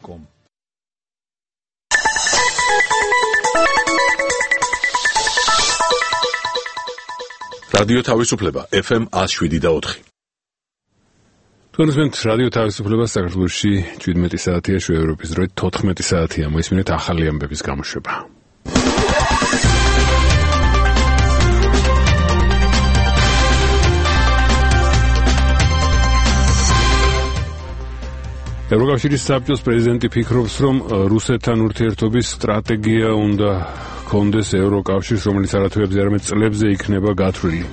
radio-tavisupleba.com Radio Tavisupleba FM 107.4 Თქვენს რადიო თავისუფლებას საქართველოში 17 საათია, შუა ევროპის დროით 14 საათია. მოისმინეთ ახალი ამბების გამოშვება. ევროკავშირის საბჭოს პრეზიდენტი ფიქრობს, რომ რუსეთთან ურთიერთობის სტრატეგია უნდა ჰქონდეს ევროკავშირს, რომელიც არათვეებზე, არამედ წლებზე იქნება გათვლილი.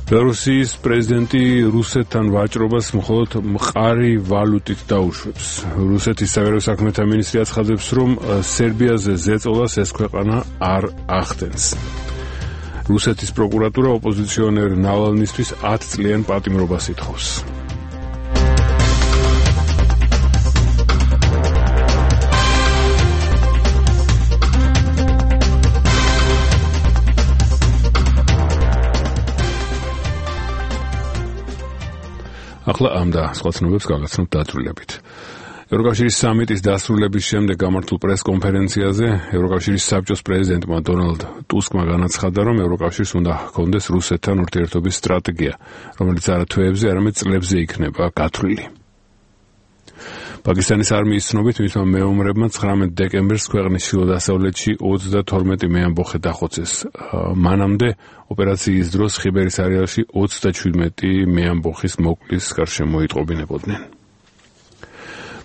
ბელარუსის პრეზიდენტი რუსეთთან ვაჭრობას მხოლოდ მყარი ვალუტით დაუშვებს. რუსეთის საგარეო საქმეთა მინისტრი აცხადებს, რომ სერბიაზე ზეწოლას ეს ქვეყანა არ ახდენს. რუსეთის პროკურატურა ოპოზიციონერ ნავალნისთვის 10 წლიან პატიმრობას ითხოვს. ახლა ამ და სხვა ცნობებს გავაცნობთ დაწვრილებით. ევროკავშირის სამიტის დასრულების შემდეგ გამართულ პრეს-კონფერენციაზე ევროკავშირის საბჭოს პრეზიდენტმა დონალდ ტუსკმა განაცხადა, რომ ევროკავშირს უნდა ჰქონდეს რუსეთთან ურთიერთობის სტრატეგია, რომელიც არა თვეებზე, არამედ წლებზე იქნება გათვლილი. პაკისტანის არმიის ცნობით მისმა მეომრებმა 19 დეკემბერს ქვეყნის ჩრდილო-დასავლეთში 32 მეამბოხე დახოცეს. მანამდე ოპერაციის დროს ხიბერის არეალში 37 მეამბოხის მოკლის გარშემო იტყობინებოდნენ.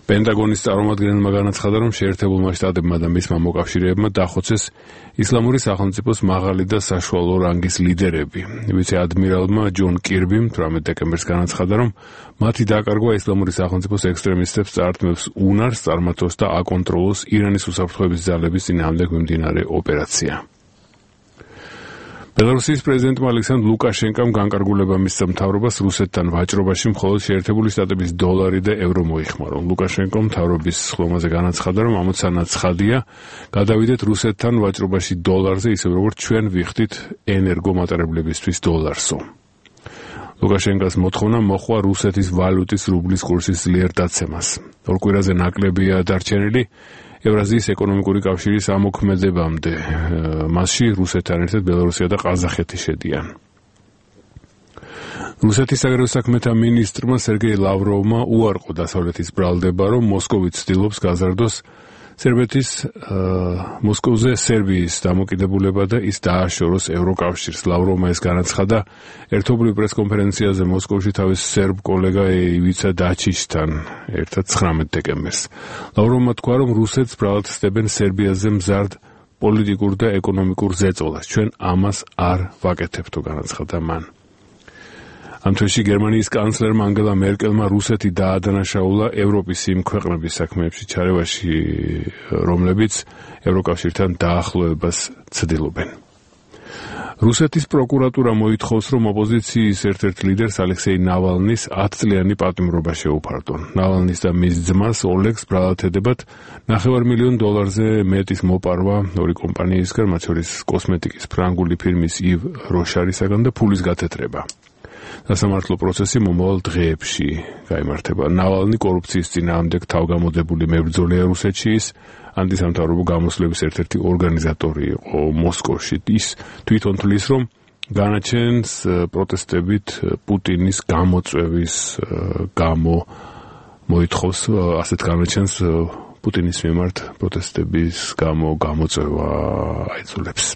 პენტაგონის წარმომადგენელმა განაცხადა, რომ შეერთებულმა შტატებმა და მისმა მოკავშირეებმა დახოცეს ისლამური სახელმწიფოს მაღალი და საშუალო რანგის ლიდერები. ვიცე-ადმირალმა ჯონ კირბიმ 18 დეკემბერს განაცხადა, რომ მათი დაკარგვა ისლამური სახელმწიფოს ექსტრემისტებს წაართმევს უნარს წარმართოს და აკონტროლოს ირანის უსაფრთხოების ძალების წინააღმდეგ მიმდინარე ოპერაცია. ბელარუსის პრეზიდენტმა ალექსანდრ ლუკაშენკომ განკარგულება მისცა მთავრობას რუსეთთან ვაჭრობაში მხოლოდ შეერთებული შტატების დოლარი და ევრო მოიხმარო. ლუკაშენკომ მთავრობის ხლომაზე განაცხადა, რომ ამოცანა ცხადია, გადავიდეთ რუსეთთან ვაჭრობაში დოლარზე, ისე როგორც ჩვენ ვიხდით ენერგომატარებლებისთვის დოლარსო. ლუკაშენკოს მოთხოვნა მოხვა რუსეთის ვალუტის რუბლის კურსის ძლიერ დაცემას. ორ კვირაზე ნაკლებია დარჩენილი ევრაზიის ეკონომიკური კავშირის ამოქმედებამდე. მასში რუსეთთან ერთად ბელარუსია და ყაზახეთი შედიან. რუსეთის საგარეო საქმეთა მინისტრმა სერგეი ლავროვმა უარყო დასავლეთის ბრალდება, რომ მოსკოვი ცდილობს გაზარდოს მოსკოვზე სერბიის დამოკიდებულება და ის დააშოროს ევროკავშირს. ლავროვმა ეს განაცხადა ერთობლივ პრეს-კონფერენციაზე მოსკოვში თავის სერბ კოლეგა ივიცა დაჩიშთან ერთად 19 დეკემბერს. ლავროვმა თქვა, რომ რუსეთს ბრალად ხსდებენ სერბიაზე მზარდ პოლიტიკურ და ეკონომიკურ ზეწოლას. ჩვენ ამას არ ვაკეთებთო, განაცხადა მან. ამ თვეში გერმანიის კანცლერმა ანგელა მერკელმა რუსეთი დაადანაშაულა ევროპის იმ ქვეყნების საქმეებში ჩარევაში, რომლებიც ევროკავშირთან დაახლოებას ცდილობენ. რუსეთის პროკურატურა მოითხოვს, რომ ოპოზიციის ერთ-ერთ ლიდერს ალექსეი ნავალნის 10 წლიანი პატიმრობა შეუფარდონ. ნავალნის და მის ძმას ოლეგს ბრალად ედებათ $500,000-ზე მეტის მოპარვა ორი კომპანიისგან, მათ შორის კოსმეტიკის ფრანგული ფირმის ივ როშარისაგან და ფულის გათეთრება. სასამართლო პროცესი მომავალ დღეებში გაიმართება. ნავალნი კორუფციის წინააღმდეგ თავგამოდებული მებრძოლია რუსეთში, ის ანტისამთავრობო გამოსვლების ერთ-ერთი ორგანიზატორი იყო მოსკოვში. ის თვითონ თვლის, რომ განაჩენს პროტესტებით პუტინის გამოწვევის გამო მოითხოვს, ასეთ განაჩენს პუტინის მიმართ პროტესტების გამო გამოწვევა აიძულებს.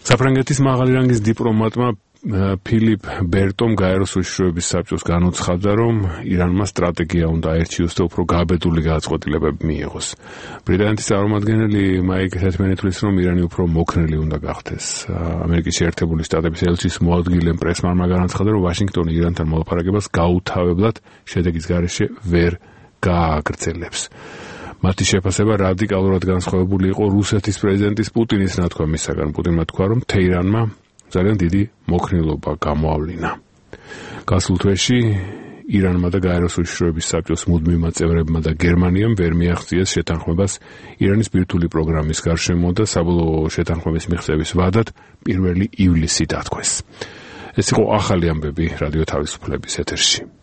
საფრანგეთის მაღალი რანგის დიპლომატმა ფილიპ ბერტომ გაეროს უშიშროების საბჭოს განუცხადა, რომ ირანმა სტრატეგია უნდა აერჩიოს და უფრო გაბედული გადაწყვეტილებები მიიღოს. ბრიტანეთის წარმომადგენელი მაიკ ჰეთმენი თვლის, რომ ირანი უფრო მოქნილი უნდა გახდეს. ამერიკის შეერთებული შტატების ელჩის მოადგილე პრესმანმა განაცხადა, რომ ვაშინგტონი ირანთან მოლაპარაკებას გაუთავებლად შედეგის გარეშე ვერ გააგრძელებს. მათი შეფასება რადიკალურად განსხვავებული იყო რუსეთის პრეზიდენტის პუტინის ნათქვამისაგან. პუტინმა თქვა, რომ თეირანმა ძალიან დიდი მოქნილობა გამოავლინა. გასულ თვეში ირანმა და გაეროს უშიშროების საბჭოს მუდმივმა წევრებმა და გერმანიამ ვერ მიაღწიეს შეთანხმებას ირანის ბირთვული პროგრამის გარშემო და საბოლოო შეთანხმების მიღწევის ვადად 1 ივლისი დათქვეს. ეს იყო ახალი ამბები რადიო თავისუფლების ეთერში.